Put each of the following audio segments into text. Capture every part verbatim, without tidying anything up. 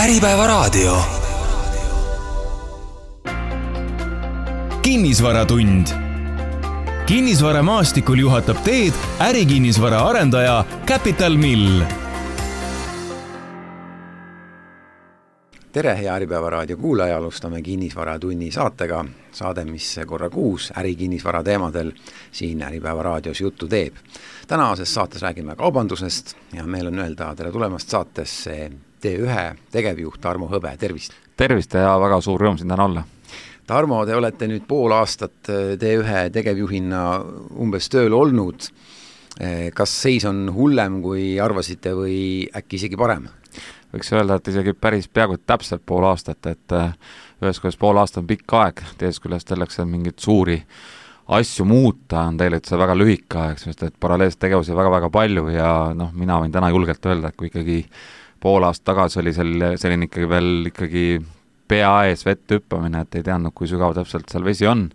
Äripäevaraadio. Kinnisvaratund. Kinnisvaramaastikul juhatab teed ärikinnisvara arendaja Capital Mill. Tere, hea Äripäevaraadio kuulaja, alustame Kinnisvaratunni saatega. Saade, mis korra kuus ärikinnisvara teemadel siin Äripäevaraadios juttu teeb. Tänases saates räägime kaubandusest ja meil on öelda tere tulemast saatesse T ühe tegevjuht Tarmo Hõbe, tervist! Tervist ja väga suur rõõm siin täna olla. Tarmo, te olete nüüd pool aastat T ühe tegevjuhina umbes tööl olnud. Kas seis on hullem, kui arvasite või äkki isegi parem? Võiks öelda, et isegi päris peaaegu täpselt pool aastat, et ühes kuidas pool aastat on pikk aeg, tees küljest selleks, et mingit suuri asju muuta on teile see väga lühike aeg, sest et paralleelselt tegevusi väga-väga palju ja noh, mina võin täna julgelt öelda, et kui ikkagi pool aasta tagasi oli selline, selline ikkagi veel ikkagi pea ees vett hüppamine, et ei teadnud, kui sügav täpselt seal vesi on,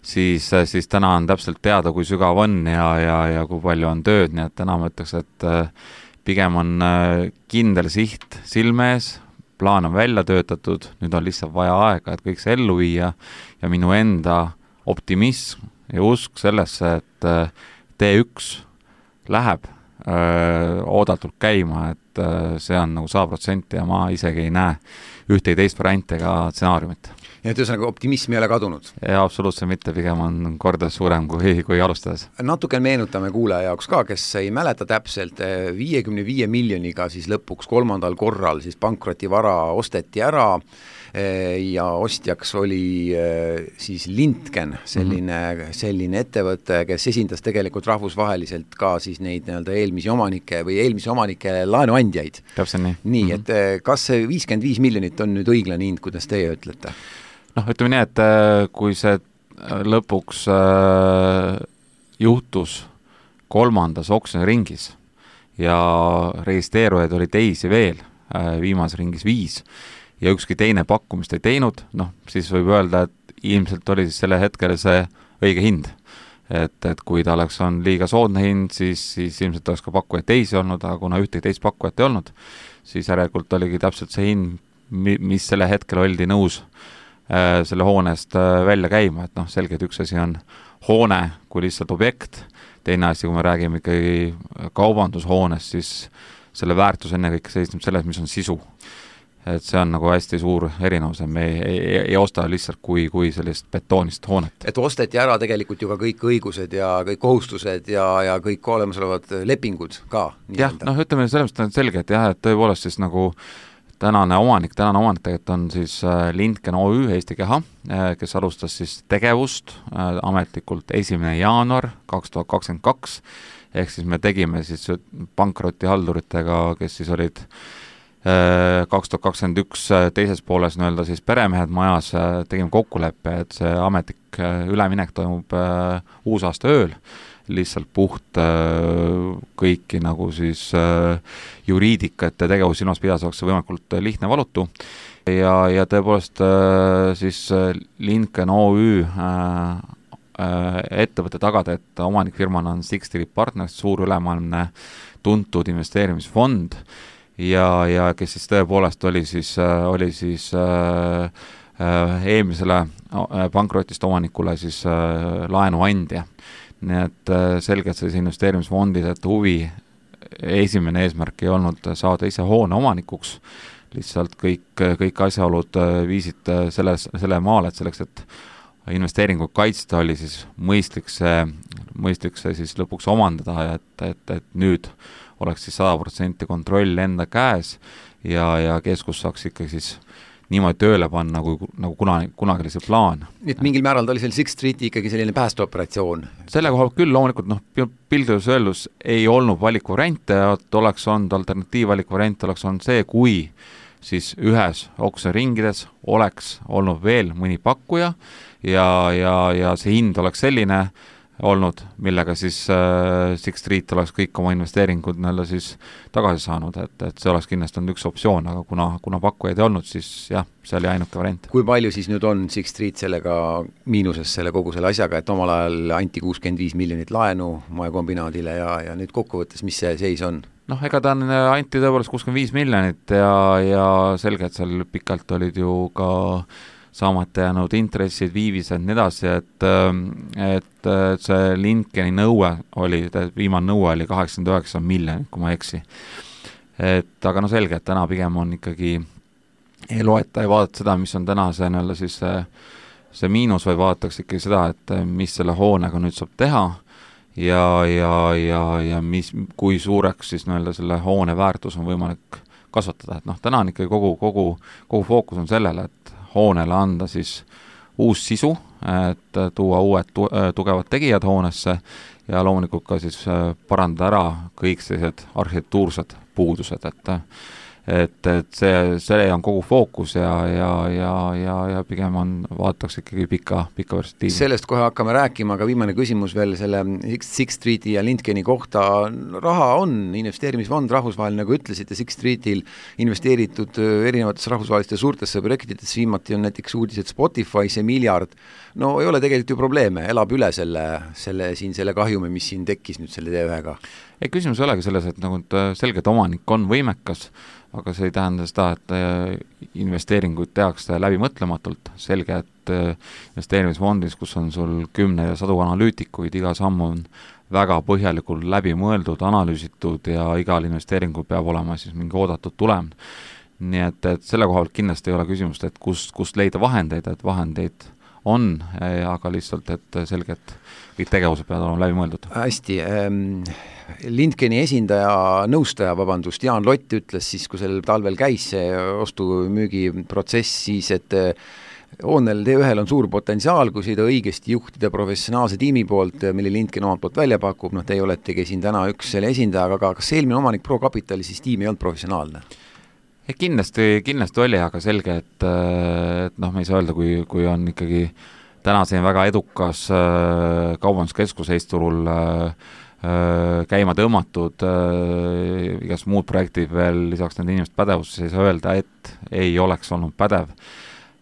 siis, siis täna on täpselt teada, kui sügav on ja, ja, ja kui palju on tööd, nii et täna ma ütleks, et pigem on kindel siht silme ees, plaan on välja töötatud, nüüd on lihtsalt vaja aega, et kõik see ellu viia ja minu enda optimism ja usk sellesse, et T üks läheb öö, oodatult käima, et öö, see on nagu sada protsenti ja ma isegi ei näe ühte teist varianti ega stsenaariumit. Ja et ühesõnaga optimism ei ole kadunud? Ja absoluutselt mitte, pigem on kordades suurem kui, kui alustades. Natuke meenutame kuulaja jaoks ka, kes ei mäleta täpselt, viiekümne viie miljoniga siis lõpuks kolmandal korral siis pankrotivara osteti ära ja ostjaks oli siis Lintgen, selline, mm-hmm. selline ettevõte, kes esindas tegelikult rahvusvaheliselt ka siis neid nii-öelda eelmisi omanike või eelmisi omanike laenuandjaid. Täpselt nii. Nii, mm-hmm. et kas see viiskümmend viis miljonit on nüüd õiglane hind, kuidas teie ütlete? Noh, ütleme nii, et kui see lõpuks juhtus kolmandas oksjoni ringis ja registreerujaid oli teisi veel, viimases ringis viis, ja ükski teine pakkumist ei teinud, noh, siis võib öelda, et ilmselt oli siis selle hetkel see õige hind. Et, et kui ta oleks on liiga soodne hind, siis, siis ilmselt oleks ka pakkujaid teisi olnud, aga kuna ühtegi teist pakkujat ei olnud, siis järelikult oligi täpselt see hind, mis selle hetkel oldi nõus äh, selle hoonest äh, välja käima, et noh, selge, et üks asi on hoone kui lihtsalt objekt, teine asi, kui me räägime ikkagi kaubandushoonest, siis selle väärtus enne kõik seisneb selles, mis on sisu. Et see on nagu hästi suur erinevus, me ei, ei, ei osta lihtsalt kui, kui sellist betoonist hoonet. Et osteti ära tegelikult ju ka kõik õigused ja kõik kohustused ja, ja kõik olemasolevad lepingud ka. Jah, noh, ütleme selles mõttes on selge, et jah, et tõepoolest siis nagu tänane omanik, tänane omanik tegelikult on siis Lintgen O Ü Eesti Keha, kes alustas siis tegevust ametlikult esimene jaanuar kaks tuhat kakskümmend kaks, ehk siis me tegime siis pankrotihalduritega, kes siis olid kaks tuhat kakskümmend üks teises pooles nii-öelda siis peremehed majas, tegime kokkuleppe, et see ametlik üleminek toimub uusaasta ööl, lihtsalt puht kõiki nagu siis juriidikat ja tegevus silmas pidas oleks võimalikult lihtne valutu ja, ja tõepoolest siis Lintgen O Ü ettevõtte tagada, et omanikfirmana on Six Street Partners, suur ülemaailmne tuntud investeerimisfond ja, ja kes siis tõepoolest oli siis, oli siis äh, äh, eelmisele pankrotist omanikule siis äh, laenuandja. Nii et äh, selgelt siis investeerimisfondid, et huvi esimene eesmärk ei olnud saada ise hoone omanikuks, lihtsalt kõik, kõik asjaolud viisid selle, selle maale, et selleks, et investeeringuid kaitsta, oli siis mõistlik see, mõistlik see siis lõpuks omandada ja et, et, et nüüd oleks siis sada protsenti kontroll enda käes ja, ja keskus saaks ikkagi siis niimoodi tööle panna, nagu, nagu kunagi, kunagi oli see plaan. Nii et mingil määral ta oli seal Six Streeti ikkagi selline päästeoperatsioon? Selle koha küll loomulikult, noh, pildus öeldus ei olnud valikuvariante, et oleks olnud alternatiivvalikuvariant, oleks olnud see, kui siis ühes oksjoniringides oleks olnud veel mõni pakkuja ja, ja, ja see hind oleks selline olnud, millega siis äh, Six Street oleks kõik oma investeeringud näille siis tagasi saanud, et, et see oleks kindlasti olnud üks optsioon, aga kuna, kuna pakkujaid ei olnud, siis jah, see oli ainuke variant. Kui palju siis nüüd on Six Street sellega miinuses selle kogu selle asjaga, et omal ajal anti kuuskümmend viis miljonit laenu moekombinaadile ja, ja nüüd kokkuvõttes, mis see seis on? noh, ega ta on, anti tõepoolest kuuskümmend viis miljonit ja, ja selge, et seal pikalt olid ju ka saamata jäänud intressid, viivised nii edasi, et, et, et see Lindgeni nõue oli, viimane nõue oli kaheksakümmend üheksa miljonit, kui ma ei eksi. Et aga no selge, et täna pigem on ikkagi ei loeta ja vaadata seda, mis on täna see, näole, siis see, see miinus, või vaadatakse ikkagi seda, et mis selle hoonega nüüd saab teha ja, ja, ja, ja mis, kui suureks siis näole selle hoone väärtus on võimalik kasvatada, et noh, täna on ikkagi kogu, kogu, kogu fookus on sellele, et hoonele anda siis uus sisu, et tuua uued tu tugevad tegijad hoonesse ja loomulikult ka siis parandada ära kõik sellised arhitektuursed puudused, et et, et see, see on kogu fookus ja, ja, ja, ja, ja pigem on, vaadatakse ikkagi pika, pika perspektiivi. Sellest kohe hakkame rääkima, aga viimane küsimus veel selle Sixth Streeti ja Lindgeni kohta. Raha on, investeerimisfond rahvusvaheline, nagu ütlesite, Sixth Streetil investeeritud erinevates rahvusvaheliste suurtesse projektidesse, viimati on näiteks uudised Spotify, see miljard, no ei ole tegelikult ju probleeme, elab üle selle, selle, siin, selle kahjumi, mis siin tekkis nüüd selle T ühega. Ei, küsimus ei olegi selles, et nagu selgelt omanik on võimekas, aga see ei tähenda seda, et investeeringuid tehakse läbimõtlematult. Selge, et investeerimisfondis, kus on sul kümne ja sadu analüütikuid, iga samm on väga põhjalikult läbi mõeldud, analüüsitud ja igal investeeringul peab olema siis mingi oodatud tulem. Nii et, et selle koha pealt kindlasti ei ole küsimust, et kust, kust leida vahendeid, et vahendeid on, aga lihtsalt, et selge, et kõik tegevused peavad olema läbi mõeldud. Hästi, ähm, Lindgeni esindaja, nõustaja, vabandust, Jaan Lott ütles siis, kui sel talvel käis see ostu-müügi protsess, siis et hoonel T ühel on suur potentsiaal, kui seda õigesti juhtida professionaalse tiimi poolt, mille Lindgen omalt poolt välja pakub, noh, te ei oletegi siin täna üks selle esindaja, aga kas eelmine omanik Pro Capitali siis tiim ei olnud professionaalne? Kindlasti, kindlasti oli, aga selge, et, et noh, me ei saa öelda, kui, kui on ikkagi täna siin väga edukas äh, kaubanduskeskus Eesturul äh, käima tõmmatud, äh, igast muud projektid veel lisaks nende inimeste pädevusse, ei saa öelda, et ei oleks olnud pädev.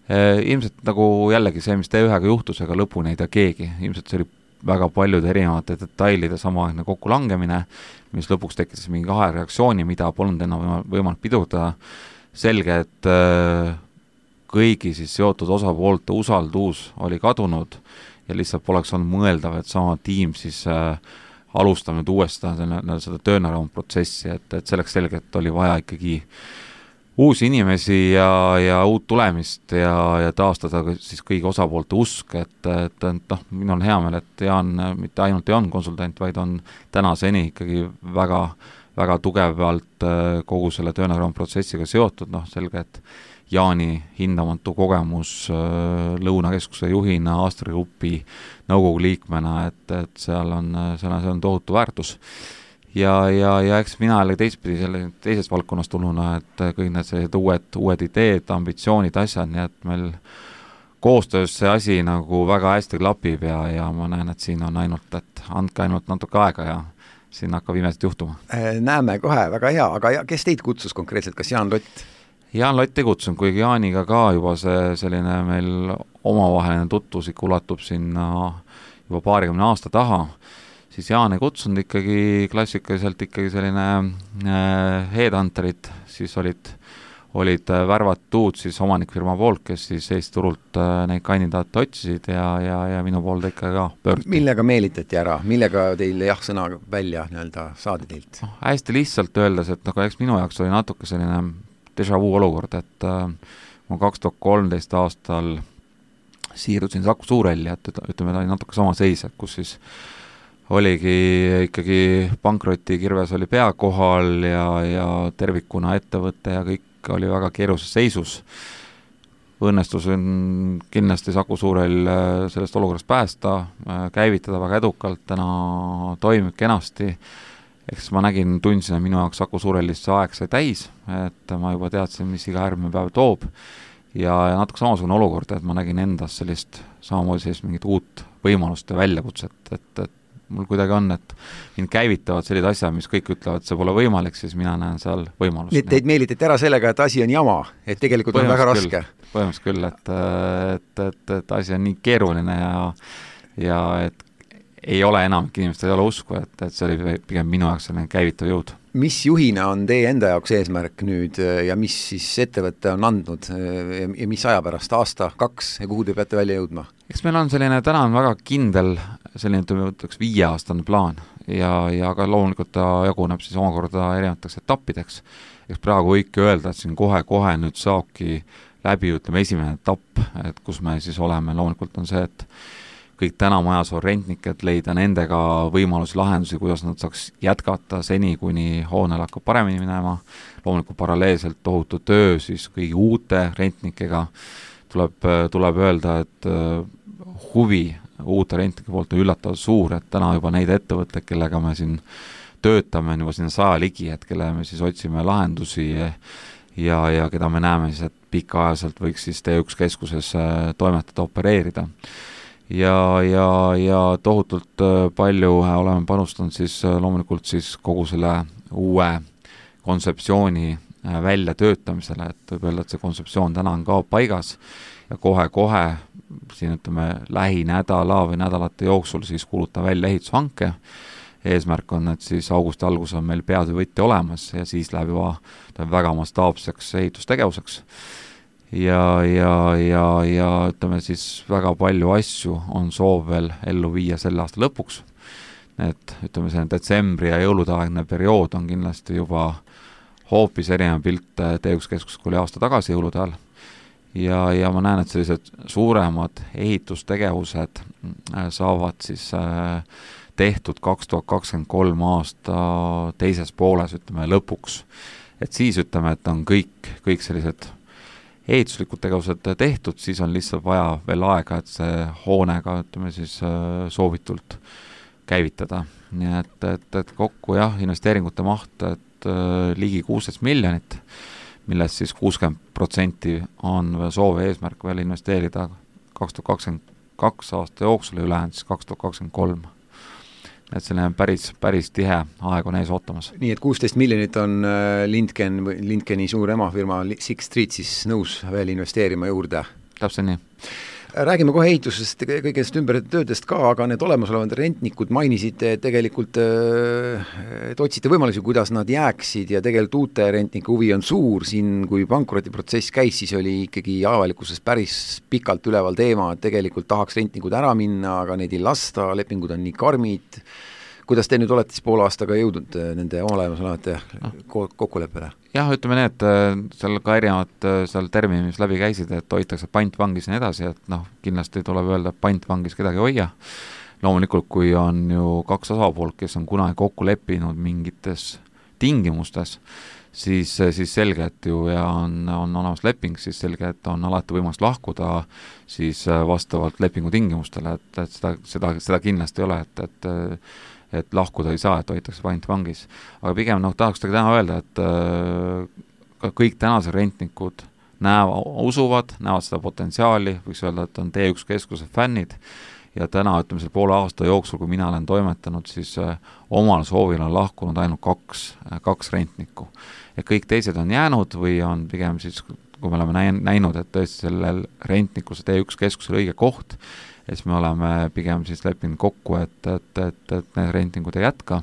Äh, ilmselt nagu jällegi see, mis T ühega juhtus, ega lõpuni ei tea keegi, ilmselt see oli väga paljude erinevate detailide samaaegne kokkulangemine, mis lõpuks tekkis mingi kahe reaktsiooni, mida polnud enam võimalik pidurdada. Selge, et äh, kõigi siis seotud osapoolte usaldus oli kadunud ja lihtsalt poleks olnud mõeldav, et sama tiim siis äh, alustab nüüd uuesti seda, seda töönareund protsessi, et, et selleks selgelt oli vaja ikkagi uusi inimesi ja, ja uut tulemist ja, ja taastada siis kõigi osapoolte usk, et, et, et noh, minul on hea meel, et Jaan mitte ainult ei on konsultant, vaid on tänaseni ikkagi väga, väga tugevalt kogu selle töönareund protsessiga seotud, noh selge, et Jaani hindamatu kogemus Lõunakeskuse juhina, Astri Grupi nõukogu liikmena, et, et seal on, seal on, seal on tohutu väärtus. Ja, ja, ja eks mina jälle teistpidi selle teisest valdkonnast tulnuna, et kõik need sellised uued, uued ideed, ambitsioonid, asjad, nii et meil koostöös see asi nagu väga hästi klapib ja, ja ma näen, et siin on ainult, et andke ainult natuke aega ja siin hakkab imesid juhtuma. Näeme kohe, väga hea, aga kes teid kutsus konkreetselt, kas Jaan Lott? Jaan Lott ei kutsunud, kuigi Jaaniga ka juba see selline meil omavaheline tutvusik ulatub sinna juba paarikümne aasta taha, siis Jaan ei kutsunud ikkagi klassikaliselt ikkagi selline äh, headhunterid, siis olid, olid värvatud siis omanikfirma poolt, kes siis Eesti turult äh, neid kandidaate otsisid ja, ja, ja minu poolde ikka ka pöörduti. Millega meelitati ära? Millega teil jah sõna välja nii-öelda saadi teilt? No, hästi lihtsalt öeldes, et nagu eks minu jaoks oli natuke selline déjà vu olukord, et äh, ma kaks tuhat kolmteist aastal siirdusin Saku Suurelli, et ütleme, ta oli natuke sama seis, et kus siis oligi ikkagi pankroti kirves oli pea kohal ja, ja tervikuna ettevõte ja kõik oli väga keerulises seisus. Õnnestus on kindlasti Saku Suurel sellest olukorrast päästa, käivitada väga edukalt, täna toimib kenasti. Eks ma nägin, tundsin, et minu jaoks Saku Suurelist see aeg sai täis, et ma juba teadsin, mis iga järgmine päev toob ja, ja natuke samasugune olukord, et ma nägin endas sellist samamoodi sellist mingit uut võimalust ja väljakutset, et, et mul kuidagi on, et mind käivitavad sellised asjad, mis kõik ütlevad, et see pole võimalik, siis mina näen seal võimalust. Nii, teid meelitati ära sellega, et asi on jama, et tegelikult on väga raske. Põhimõtteliselt küll, et, et, et, et asi on nii keeruline ja, ja et ei ole enam inimestel ei ole usku, et, et see oli pigem minu jaoks selline käivitav jõud. mis juhina on teie enda jaoks eesmärk nüüd ja mis siis ettevõtte on andnud ja mis aja pärast, aasta, kaks ja kuhu te peate välja jõudma? Eks meil on selline, täna on väga kindel selline, ütleks viieaastane plaan ja, ja ka loomulikult ta jaguneb siis omakorda erinevateks etappideks. Eks praegu võike öelda, et siin kohe-kohe nüüd saabki läbi, ütleme, esimene etapp, et kus me siis oleme, loomulikult on see, et kõik täna majas on rentniked, leida nendega võimalusi, lahendusi, kuidas nad saaks jätkata seni, kuni hoonel hakkab paremini minema. Loomulikult paralleelselt tohutu töö siis kõigi uute rentnikega. Tuleb, tuleb öelda, et huvi uute rentnike poolt on üllatavalt suur, et täna juba neid ettevõtteid, kellega me siin töötame, on juba sinna saja ligi, et kelle me siis otsime lahendusi ja, ja keda me näeme siis, et pikaajaliselt võiks siis T üks keskuses toimetada, opereerida. Ja, ja, ja tohutult palju oleme panustanud siis loomulikult siis kogu selle uue kontseptsiooni välja töötamisele, et võib öelda, et see kontseptsioon täna on ka paigas ja kohe-kohe siin ütleme lähinädala või nädalate jooksul siis kuuluta välja ehitushanke. Eesmärk on, et siis augusti algus on meil peatöövõtja olemas ja siis läheb juba väga mastaapseks ehitustegevuseks. Ja, ja, ja, ja ütleme siis väga palju asju on soov veel ellu viia selle aasta lõpuks. Et ütleme see detsembri ja jõuludaegne periood on kindlasti juba hoopis erinev pilt T üks keskus, kui oli aasta tagasi jõulude ajal. Ja, ja ma näen, et sellised suuremad ehitustegevused saavad siis tehtud kaks tuhat kakskümmend kolm aasta teises pooles, ütleme lõpuks. Et siis ütleme, et on kõik, kõik sellised ehituslikud tegevused tehtud, siis on lihtsalt vaja veel aega, et see hoonega, ütleme siis soovitult käivitada. Nii et, et, et kokku jah, investeeringute maht, et ligi kuusteist miljonit, millest siis kuuskümmend protsenti on soov eesmärk veel investeerida kaks tuhat kakskümmend kaks aasta jooksul ja ülejäänud siis kaks tuhat kakskümmend kolm. Et selline päris, päris tihe aeg on ees ootamas. Nii et kuusteist miljonit on Lindken, Lindkeni suur emafirma Six Street siis nõus veel investeerima juurde. Täpselt nii. Räägime kohe ehitusest, kõigest ümber töödest ka, aga need olemasolevad rentnikud mainisid tegelikult, et otsite võimalusi, kuidas nad jääksid ja tegelikult uute rentnike huvi on suur. Siin, kui pankrotiprotsess käis, siis oli ikkagi avalikkuses päris pikalt üleval teema, et tegelikult tahaks rentnikud ära minna, aga neid ei lasta, lepingud on nii karmid. Kuidas te nüüd olete siis poole aastaga jõudnud nende olemasolevate kokkuleppele? Jah, ütleme nii, et seal ka erinevad seal termini, mis läbi käisid, et hoitakse pantvangis ja nii edasi, et noh, kindlasti tuleb öelda, et pantvangis kedagi hoia. Loomulikult, kui on ju kaks osapoolt, kes on kunagi kokku leppinud mingites tingimustes, siis, siis selge, et ju ja on, on olemas leping, siis selge, et on alati võimalus lahkuda siis vastavalt lepingu tingimustele, et, et seda, seda, seda kindlasti ei ole, et, et et lahkuda ei saa, et hoitakse pantvangis. Aga pigem noh, tahaks täna öelda, et äh, kõik tänased rentnikud näevad, usuvad, näevad seda potentsiaali, võiks öelda, et on T üks keskuse fännid ja täna, ütleme selle poole aasta jooksul, kui mina olen toimetanud, siis äh, omal soovil on lahkunud ainult kaks, äh, kaks rentnikku. Ja kõik teised on jäänud või on pigem siis, kui me oleme näinud, et tõesti sellel rentnikul see T üks keskusel õige koht, et me oleme pigem siis leppinud kokku, et, et, et, et need rentingud ei jätka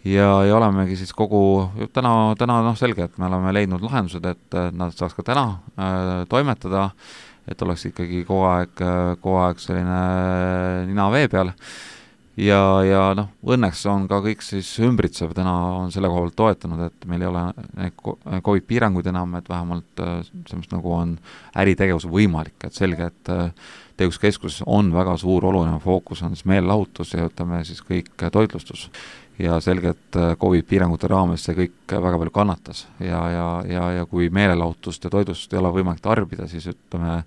ja, ja olemegi siis kogu, täna, täna noh selge, et me oleme leidnud lahendused, et nad saaks ka täna äh, toimetada, et oleks ikkagi kogu aeg, kogu aeg selline nina vee peal ja, ja noh, õnneks on ka kõik siis ümbritsev, täna on selle koha pealt toetanud, et meil ei ole COVID piiranguid enam, et vähemalt sellest nagu on äritegevus võimalik, et selge, et T üks keskus on väga suur oluline fookus, on siis meelelahutus ja ütleme siis kõik toitlustus ja selge, et COVID piirangute raames see kõik väga palju kannatas ja, ja, ja, ja kui meelelahutust ja toitlustust ei ole võimalik tarbida, siis ütleme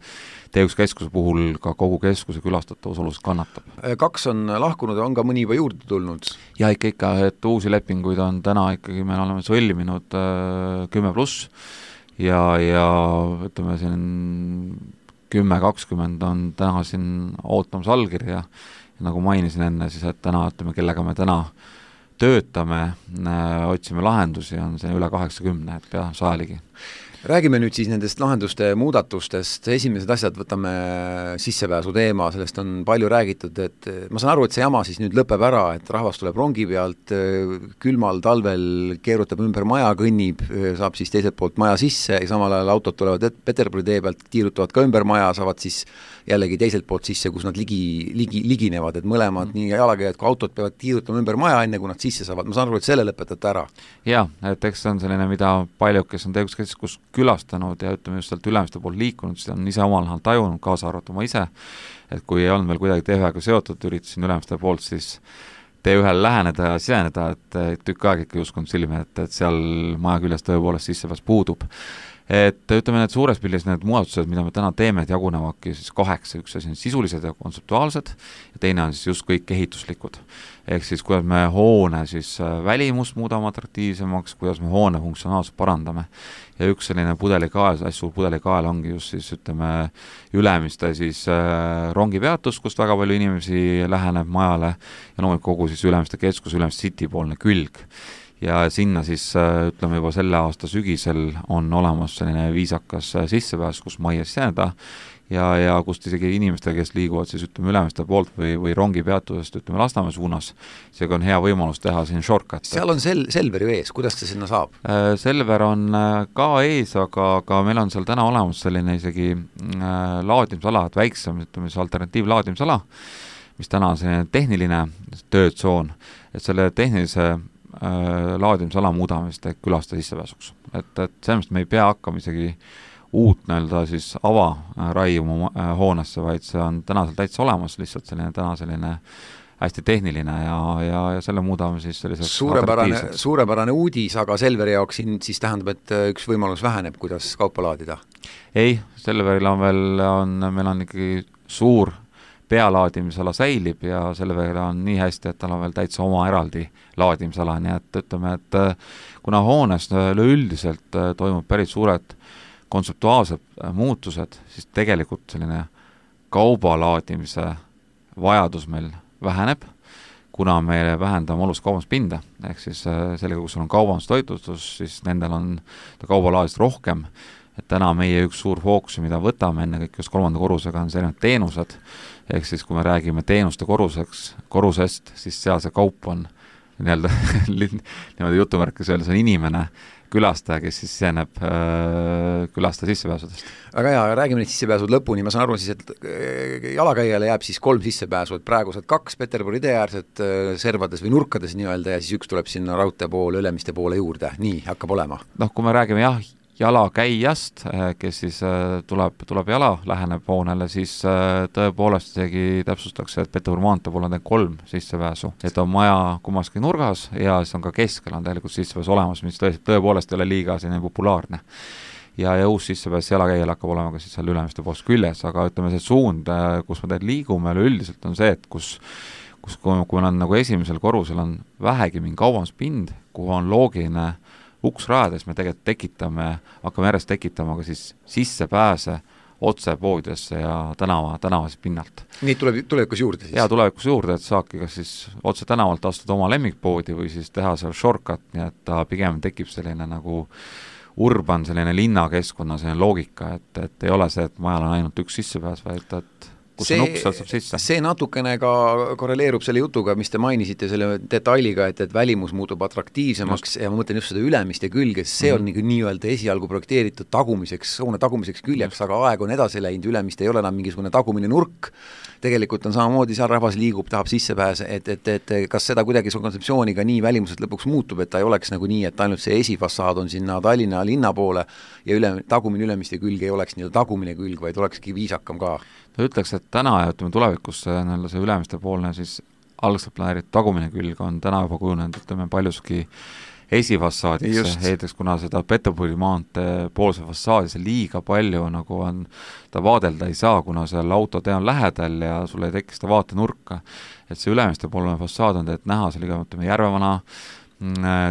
T üks keskuse puhul ka kogu keskuse külastatavus oluliselt kannatab. Kaks on lahkunud ja on ka mõni juba juurde tulnud? Ja ikka ikka, et uusi lepinguid on täna ikkagi, me oleme sõlminud kümme pluss ja, ja ütleme siin kümme kakskümmend on täna siin ootamas allkirja ja nagu mainisin enne, siis et täna, ütleme, kellega me täna töötame, otsime lahendusi, on see üle kaheksakümne, et pea sajaligi. Räägime nüüd siis nendest lahenduste muudatustest, esimesed asjad võtame sissepääsu teema, sellest on palju räägitud, et ma saan aru, et see jama siis nüüd lõpeb ära, et rahvas tuleb rongi pealt, külmal talvel keerutab ümber maja, kõnnib, saab siis teiselt poolt maja sisse ja samal ajal autod tulevad Peterburi tee pealt, tiirutavad ka ümber maja, saavad siis jällegi teiselt poolt sisse, kus nad ligi, ligi, liginevad, et mõlemad, nii jalakäijad kui autod peavad tiirutama ümber maja, enne kui nad sisse saavad, ma saan aru, et selle lõpetate ära. Jaa, et eks see on selline, mida paljud, kes on teguskeskus külastanud ja ütleme just sealt Ülemiste poolt liikunud, siis on ise omal nahal tajunud, kaasa arvatud ma ise, et kui ei olnud veel kuidagi T ühega seotud, üritasin Ülemiste poolt siis T ühele läheneda ja siseneda, et tükk aeg ikka uskunud silme, et, et seal maja küljes tõepoolest sissepääs puudub. Et ütleme, need suures pildis need muudatused, mida me täna teeme, et jagunevadki siis kaheksa, üks asi on sisulised ja kontseptuaalsed ja teine on siis just kõik ehituslikud. Ehk siis kuidas me hoone siis välimust muudame atraktiivsemaks, kuidas me hoone funktsionaalselt parandame. Ja üks selline pudelikael, hästi suur pudelikael ongi just siis ütleme Ülemiste siis äh, rongipeatus, kust väga palju inimesi läheneb majale ja loomulikult kogu siis Ülemiste keskus, Ülemiste City poolne külg. Ja sinna siis ütleme juba selle aasta sügisel on olemas selline viisakas sissepääs, kus majja siseneda ja, ja kust isegi inimestel, kes liiguvad siis ütleme Ülemiste poolt või, või rongi peatusest ütleme Lasnamäe suunas, seega on hea võimalus teha siin shortcut. Seal on sel-, Selveri ees, kuidas see sinna saab? Selver on ka ees, aga, aga meil on seal täna olemas selline isegi äh, laadimisala, et väiksem ütleme siis alternatiivlaadimisala, mis täna on selline tehniline töötsoon, et selle tehnilise laadimisala muudamist ehk külasta sissepääsuks. Et, et sellest me ei pea hakkama isegi uut näelda siis ava raiuma hoonesse, vaid see on täna seal täitsa olemas, lihtsalt selline täna selline hästi tehniline ja, ja, ja selle muudame siis selliseks suurepärane, suurepärane uudis, aga Selveri jaoks siin siis tähendab, et üks võimalus väheneb, kuidas kaupa laadida? Ei, Selveril on veel, on, meil on ikkagi suur pealaadimisala säilib ja selle veel on nii hästi, et tal on veel täitsa oma eraldi laadimisala, nii et ütleme, et kuna hoones üleüldiselt toimub päris suured kontseptuaalsed muutused, siis tegelikult selline kaubalaadimise vajadus meil väheneb, kuna me vähendame olust kaubanduspinda, ehk siis sellega, kus on kaubandustoitlustus, siis nendel on kaubalaadist rohkem, et täna meie üks suur fookus, mida võtame enne kõik just kolmanda korrusega, on selline teenused, ehk siis kui me räägime teenuste korruseks, korrusest, siis seal see kaup on nii-öelda niimoodi jutumärkis öelda, see on inimene, külastaja, kes siis siseneb äh, külastaja sissepääsudest. Aga jaa, räägime neid sissepääsud lõpuni, ma saan aru siis, et jalakäijale jääb siis kolm sissepääsu, et praegused kaks Peterburi teeäärsed servades või nurkades nii-öelda ja siis üks tuleb sinna raudtee poole, Ülemiste poole juurde, nii hakkab olema. Noh, kui me räägime jah, jalakäijast, kes siis tuleb, tuleb jala, läheneb hoonele, siis tõepoolest isegi täpsustakse, et Peterburi maantee poole on kolm sissepääsu, et on maja kummaski nurgas ja siis on ka keskel on tegelikult sissepääs olemas, mis tõepoolest ei ole liiga selline populaarne. Ja, ja uus sissepääs jalakäijal hakkab olema ka siis seal Ülemiste poolst küljes, aga ütleme see suund, kus me teed liigume, üldiselt on see, et kus kus kui, kui on nagu esimesel korrusel on vähegi mingi kaubanduspind, kuhu on loogiline uks rajades me tegelikult tekitame, hakkame järjest tekitama ka siis sissepääse otse poodidesse ja tänava, tänavasest pinnalt. Nii tuleb, tulevikus juurde siis? Jaa, tulevikus juurde, et saabki kas siis otse tänavalt astuda oma lemmikpoodi või siis teha seal shortcut, nii et ta pigem tekib selline nagu urban, selline linnakeskkonna selline loogika, et, et ei ole see, et majal on ainult üks sissepääs, vaid et kus see, on uks, sealt saab sisse. See natukene ka korreleerub selle jutuga, mis te mainisite selle detailiga, et, et välimus muutub atraktiivsemaks just. Ja ma mõtlen just seda Ülemiste külge, see mm-hmm. on nagu nii-öelda esialgu projekteeritud tagumiseks, hoone tagumiseks küljeks, aga aeg on edasi läinud, Ülemiste ei ole enam mingisugune tagumine nurk, tegelikult on samamoodi, seal rahvas liigub, tahab sissepääse, et, et, et kas seda kuidagi su kontseptsiooniga nii välimuselt lõpuks muutub, et ta ei oleks nagu nii, et ainult see esifassaad on sinna Tallinna linna poole ja üle, tagumine Ülemiste külg ei oleks nii-öelda tagumine külg, vaid olekski viisakam ka. Ta ütleks, et täna ja ütleme tulevikus see, see Ülemiste poolne siis algselt planeeritud tagumine külg on täna juba kujunenud, ütleme paljuski esifassaadiks, heideks, kuna seda Peterburi maantee poolse fassaadi see liiga palju nagu on, ta vaadelda ei saa, kuna seal autotee on lähedal ja sul ei teki seda vaatenurka, et see Ülemiste poolne fassaad on teed näha, see liiga mõtleme Järvevana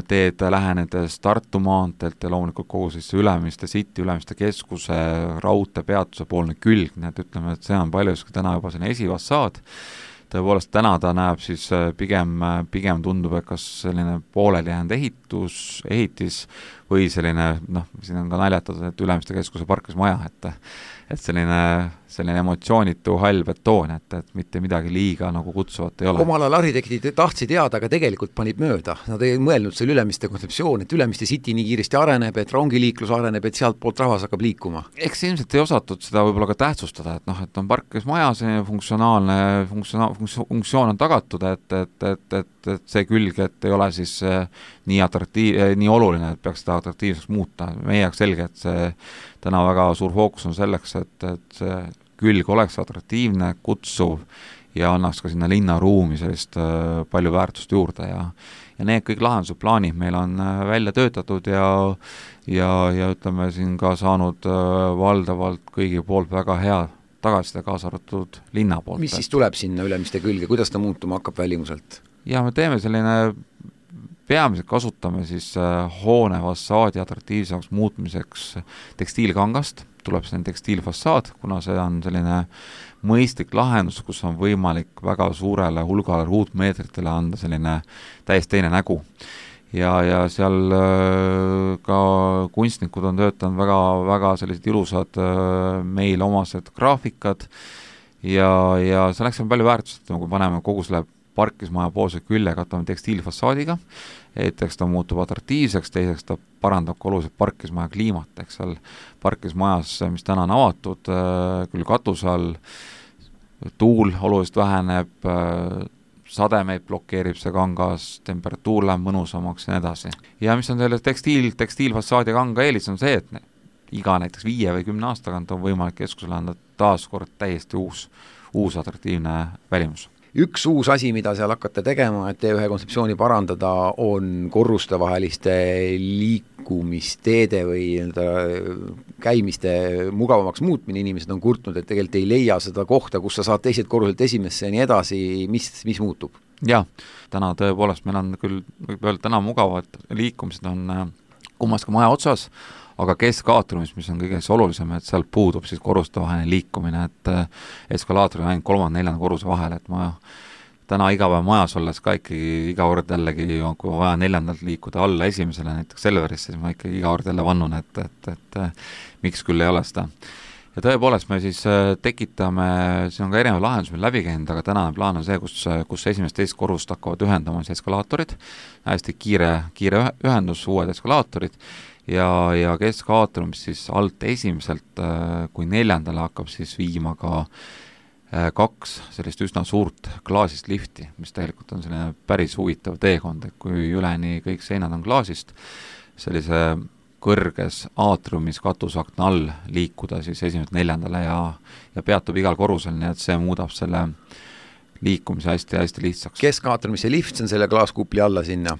teed lähenedes Tartu maanteelt ja loomulikult kogu siis Ülemiste City, Ülemiste keskuse, raudtee peatuse poolne külg, nii et ütleme, et see on paljuski täna juba selline esifassaad. Tõepoolest täna ta näeb siis pigem, pigem tundub, et kas selline pooleli jäänud ehitus, ehitis või selline, noh, siin on ka naljatatud, et Ülemiste keskuse parklasmaja, et et selline, selline emotsioonitu hall betoon, et, et mitte midagi liiga nagu kutsuvat ei ole. Omal ajal arhitektid tahtsid teada, aga tegelikult panid mööda. Nad ei mõelnud selle Ülemiste kontseptsioon, et Ülemiste city nii kiiresti areneb, et rongiliiklus areneb, et sealt poolt rahvas hakkab liikuma. Eks ilmselt ei osatud seda võib-olla ka tähtsustada, et noh, et on parklasmaja, see funktsionaalne funktsioon, funktsioon on tagatud, et, et, et, et, et see külg, et ei ole siis nii atraktiiv, nii oluline, et peaks seda atraktiivseks muuta. Meie jaoks selge, et see täna väga suur fookus on selleks, et, et see külg oleks atraktiivne, kutsuv ja annaks ka sinna linnaruumi sellist äh, palju väärtust juurde ja ja need kõik lahendused plaanid meil on äh, välja töötatud ja ja, ja ütleme siin ka saanud äh, valdavalt kõigi poolt väga hea tagasiside, kaasa arvatud linna poolt. Mis siis tuleb sinna Ülemiste külge, kuidas ta muutuma hakkab välimuselt? Ja me teeme selline, peamiselt kasutame siis äh, hoone fassaadi atraktiivsemaks muutmiseks tekstiilkangast, tuleb selline tekstiilfassaad, kuna see on selline mõistlik lahendus, kus on võimalik väga suurele hulgale ruutmeetritele anda selline täiesti teine nägu. Ja, ja seal äh, ka kunstnikud on töötanud väga, väga sellised ilusad äh, meil omased graafikad ja, ja see läks palju väärtust, kui paneme kogu selle parkismaja poolse külje katame tekstiilfassaadiga, eteks ta muutub atraktiivseks, teiseks ta parandab ka oluliselt parkismaja kliimat, eks seal parkismajas, mis täna on avatud, küll katuse all, tuul oluliselt väheneb, sademeid blokeerib see kangas, temperatuur läheb mõnusamaks ja nii edasi. Ja mis on selle tekstiil, tekstiilfassaadi kanga eelis on see, et iga näiteks viie või kümne aastakant on võimalik keskusele anda taas kord täiesti uus, uus atraktiivne välimus. Üks uus asi, mida seal hakkate tegema, et T ühe kontseptsiooni parandada, on korrustevaheliste liikumisteede või käimiste mugavamaks muutmine. Inimesed on kurtnud, et tegelikult ei leia seda kohta, kus sa saad teised korruselt esimesse ja nii edasi, mis, mis muutub? Jah, täna tõepoolest meil on küll, võib öelda, täna mugavad liikumised on kummas ka maja otsas, aga keskaatriumis, mis on kõige olulisem, et seal puudub siis korrustevaheline liikumine, et eskalaator on ainult kolmanda neljanda korruse vahel, et ma täna iga päev majas olles ka ikkagi iga kord jällegi, kui vaja neljandalt liikuda alla esimesele, näiteks Selverisse, siis ma ikkagi iga kord jälle vannun, et, et, et, et miks küll ei ole seda. Ja tõepoolest me siis tekitame, siin on ka erinev lahendus meil läbi käinud, aga tänane plaan on see, kus, kus esimest teist korrust hakkavad ühendama siis eskalaatorid, hästi kiire, kiire ühendus, uued eskalaatorid, ja, ja keskaatrium, mis siis alt esimeselt kui neljandale hakkab siis viima ka kaks sellist üsna suurt klaasist lifti, mis tegelikult on selline päris huvitav teekond, et kui üleni kõik seinad on klaasist, sellise kõrges aatriumis katusakna all liikuda siis esimest neljandale ja, ja peatub igal korrusel, nii et see muudab selle liikumise hästi-hästi lihtsaks. Keskaatriumis see lift, see on selle klaaskupli alla sinna.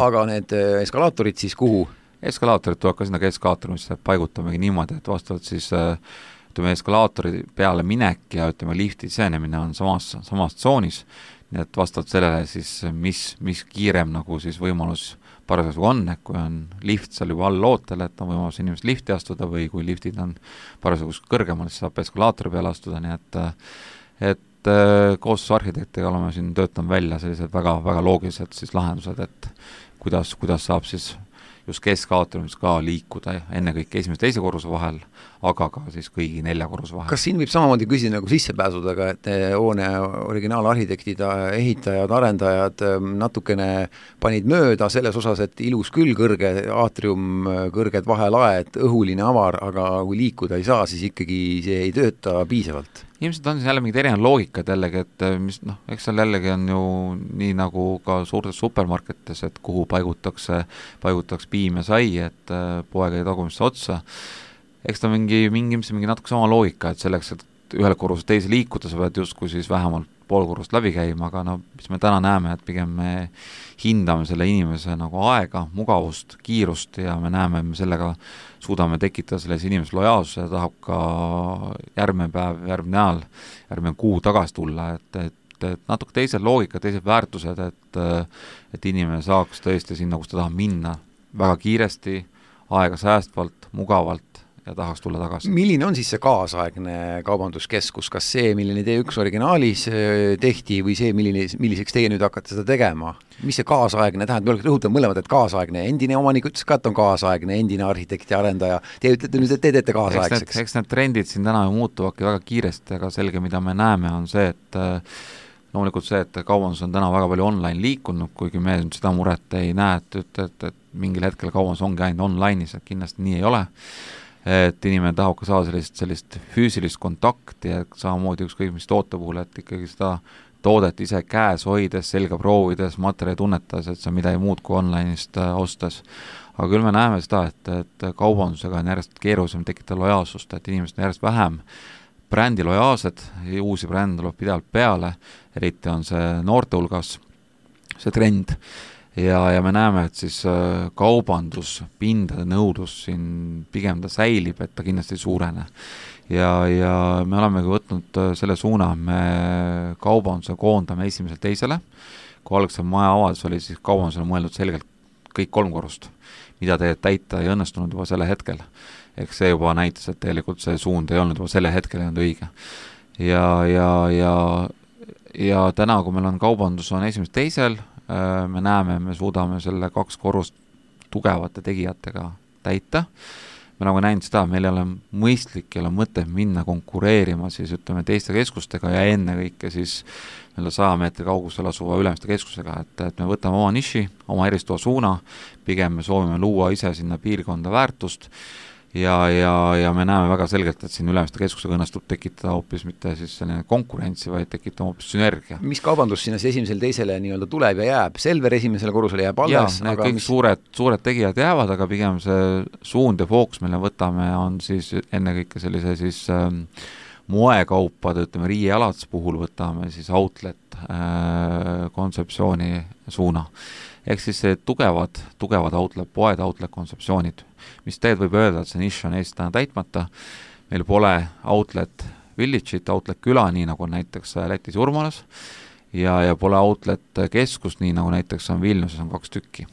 Aga need eskalaatorid siis kuhu? Eskalaatorid tuleb ka sinna keskaatriumisse, paigutamegi niimoodi, et vastavalt siis ütleme, eskalaatori peale minek ja ütleme, lifti sisenemine on samas, samas tsoonis, nii et vastavalt sellele siis, mis, mis kiirem nagu siis võimalus parasjagu on, et kui on lift seal juba all lootel, et on võimalus inimest lifti astuda või kui liftid on parasjagu kõrgemal, siis saab eskalaatori peale astuda, nii et, et koostöös arhitektiga oleme siin töötanud välja sellised väga, väga loogilised siis lahendused, et kuidas, kuidas saab siis just keskaatriumis ka liikuda enne kõik esimese teise korruse vahel, aga ka siis kõigi nelja korruse vahel. Kas siin võib samamoodi küsida nagu sissepääsudega, et hoone originaalarhitektid, ehitajad, arendajad natukene panid mööda selles osas, et ilus küll kõrge aatrium, kõrged vahelaed, õhuline avar, aga kui liikuda ei saa, siis ikkagi see ei tööta piisavalt? Ilmselt on siis jälle mingid erinevad loogikad jällegi, et mis, noh, eks seal jällegi on ju nii nagu ka suurtes supermarketides, et kuhu paigutakse, paigutakse piim ja sai, et poeg ei tagumisse otsa. Eks ta mingi, mingi, mingi natuke sama loogika, et selleks, et ühel korrus teise liikuda, sa pead justkui siis vähemalt pool korrust läbi käima, aga no mis me täna näeme, et pigem me hindame selle inimese nagu aega, mugavust, kiirust ja me näeme, et me sellega suudame tekitada selles inimese lojaalsuse ja tahab ka järgmine päev, järgmine nädal, järgmine kuu tagasi tulla, et, et, et natuke teised loogikad, teised väärtused, et, et inimene saaks tõesti sinna, kus ta tahab minna väga kiiresti, aega säästvalt, mugavalt ja tahaks tulla tagasi. Milline on siis see kaasaegne kaubanduskeskus, kas see, milline T üks originaalis tehti või see, milline, milliseks teie nüüd hakkate seda tegema? Mis see kaasaegne tähendab? Me rõhutan mõlemad, et kaasaegne. Endine omanik ütles ka, et on kaasaegne, endine arhitekti arendaja. Te ütlete nüüd, et te teete kaasaegseks. Eks need, eks need trendid siin täna muutuvadki väga kiiresti, aga selge, mida me näeme, on see, et loomulikult see, et kaubandus on täna väga palju online liikunud, kuigi me seda muret ei näe, et, et, et, et mingil hetkel kaubandus ongi ainult online'is, et kindlasti nii ei ole. Et inimene tahab ka saada sellist, sellist füüsilist kontakti ja samamoodi ükskõik mis toote puhul, et ikkagi seda toodet ise käes hoides, selga proovides, materjali tunnetas, et see on midagi muud kui online'ist ostes. Aga küll me näeme seda, et, et kaubandusega on järjest keerulisem tekitada lojaalsust, et inimesed on järjest vähem brändi lojaalsed, uusi brände tuleb pidevalt peale, eriti on see noorte hulgas see trend ja, ja me näeme, et siis kaubanduspindade nõudlus siin pigem ta säilib, et ta kindlasti ei suurene. Ja, ja me olemegi võtnud selle suuna, me kaubanduse koondame esimesel teisele, kui algse maja avaldus oli, siis kaubandusele mõeldud selgelt kõik kolm korrust, mida te täita ei õnnestunud juba selle hetkel. Ehk see juba näitas, et tegelikult see suund ei olnud juba selle hetkel ei olnud õige. Ja, ja, ja, ja täna, kui meil on kaubandus on esimest teisel, me näeme, me suudame selle kaks korrust tugevate tegijatega täita. Me nagu näinud seda, meil ei ole mõistlik, ei ole mõte minna konkureerima siis ütleme teiste keskustega ja enne kõike siis saja meetri kaugusel asuva ülemiste keskusega, et, et me võtame oma niši, oma eristuva suuna, pigem me soovime luua ise sinna piirkonda väärtust ja, ja, ja me näeme väga selgelt, et siin ülemiste keskusega õnnestub tekitada hoopis mitte siis selline konkurentsi, vaid tekitada hoopis sünergia. Mis kaubandus sinna esimesele teisele nii-öelda tuleb ja jääb? Selver esimesele korrusele jääb alles? Jaa, kõik mis... suured, suured tegijad jäävad, aga pigem see suund ja fookus, mille võtame, on siis enne kõike sellise siis ähm, moekaupade, ütleme riiealats puhul võtame siis outlet äh, kontseptsiooni suuna. Ehk siis see tugevad, tugevad outlet, poed outlet kontseptsioonid, mis teed võib öelda, et see nišš on Eestis täna täitmata. Meil pole outlet village'it, outlet küla, nii nagu näiteks Lätis Urmalas, ja, ja pole outlet keskust, nii nagu näiteks on Vilniuses on kaks tükki.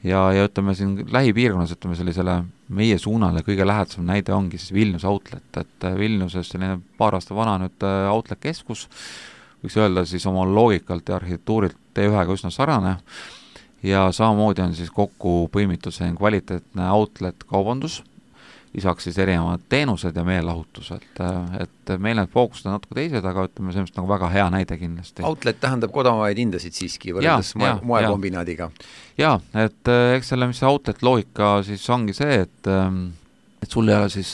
Ja, ja ütleme siin lähipiirkonnas, ütleme sellisele meie suunale kõige lähedasem näide ongi siis Vilnius outlet, et Vilniuses selline paar aasta vana nüüd outlet keskus, võiks öelda siis oma loogikalt ja arhitektuurilt T ühega üsna sarane, ja samamoodi on siis kokku põimitud see kvaliteetne outlet kaubandus, lisaks siis erinevad teenused ja meelahutus, et, et meil need fookused on natuke teised, aga ütleme sellest nagu väga hea näide kindlasti. Outlet tähendab kodamaid hindasid siiski võrreldes moe, moekombinaadiga. Jaa, et eks selle, mis see outlet loogika siis ongi see, et, et sul ei ole siis